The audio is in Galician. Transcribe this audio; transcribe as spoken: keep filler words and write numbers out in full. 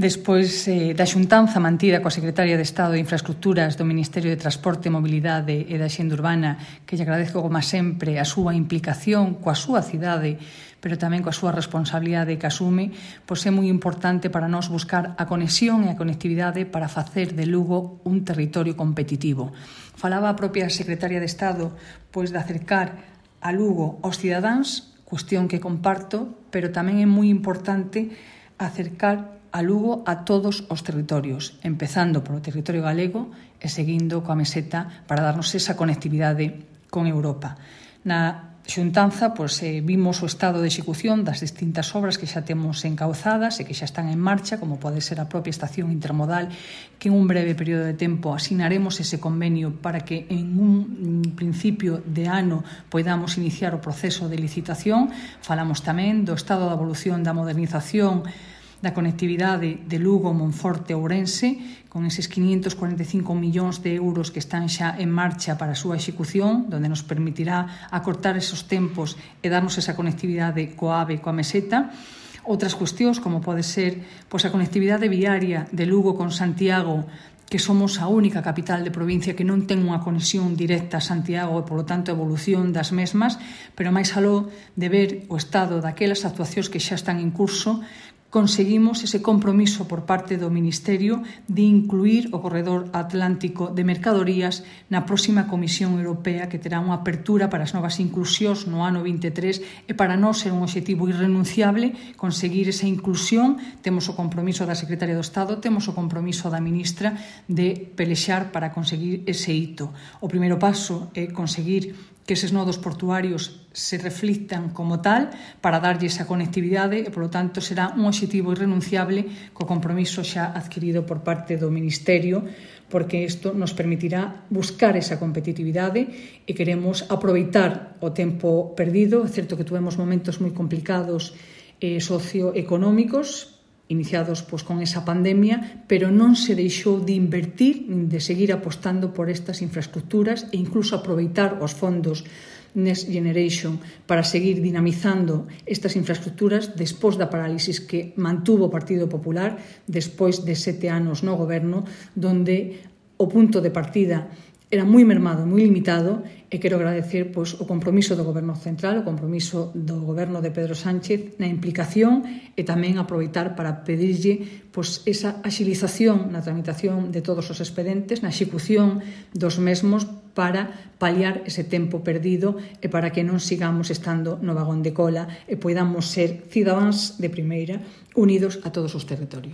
Despois eh, da xuntanza mantida coa Secretaria de Estado de Infraestructuras do Ministerio de Transporte, Mobilidade e da Xenda Urbana, que lle agradezco como sempre a súa implicación coa súa cidade, pero tamén coa súa responsabilidade que asume, pois é moi importante para nós buscar a conexión e a conectividade para facer de Lugo un territorio competitivo. Falaba a propia Secretaria de Estado pois de acercar a Lugo aos cidadáns, cuestión que comparto, pero tamén é moi importante acercar a Lugo a todos os territorios, empezando polo territorio galego e seguindo coa meseta para darnos esa conectividade con Europa. Na xuntanza, pois, eh, vimos o estado de execución das distintas obras que xa temos encauzadas e que xa están en marcha, como pode ser a propia estación intermodal, que en un breve período de tempo asinaremos ese convenio para que en un principio de ano podamos iniciar o proceso de licitación. Falamos tamén do estado da evolución da modernización da conectividade de Lugo, Monforte e Ourense, con eses quinientos cuarenta e cinco millóns de euros que están xa en marcha para a súa execución, donde nos permitirá acortar esos tempos e darnos esa conectividade coa AVE e coa meseta. Outras cuestións, como pode ser pois, a conectividade viaria de Lugo con Santiago, que somos a única capital de provincia que non ten unha conexión directa a Santiago e, polo tanto, a evolución das mesmas, pero máis aló de ver o estado daquelas actuacións que xa están en curso, conseguimos ese compromiso por parte do Ministerio de incluir o corredor atlántico de mercadorías na próxima Comisión Europea, que terá unha apertura para as novas inclusións no ano vinte e tres, e para nós ser un obxectivo irrenunciable conseguir esa inclusión. Temos o compromiso da Secretaria do Estado, temos o compromiso da Ministra de pelexar para conseguir ese hito. O primeiro paso é conseguir que eses nodos portuarios se reflictan como tal para darlle esa conectividade e, polo tanto, será un obxectivo irrenunciable co compromiso xa adquirido por parte do Ministerio, porque isto nos permitirá buscar esa competitividade e queremos aproveitar o tempo perdido. É certo que tuvemos momentos moi complicados eh, socioeconómicos, iniciados pois, con esa pandemia, pero non se deixou de invertir, de seguir apostando por estas infraestructuras e incluso aproveitar os fondos Next Generation para seguir dinamizando estas infraestructuras despois da parálisis que mantuvo o Partido Popular despois de sete anos no goberno, donde o punto de partida era moi mermado, moi limitado, e quero agradecer pois, o compromiso do Goberno Central, o compromiso do Goberno de Pedro Sánchez na implicación e tamén aproveitar para pedirlle pois, esa axilización na tramitación de todos os expedientes, na execución dos mesmos para paliar ese tempo perdido e para que non sigamos estando no vagón de cola e podamos ser cidadáns de primeira unidos a todos os territorios.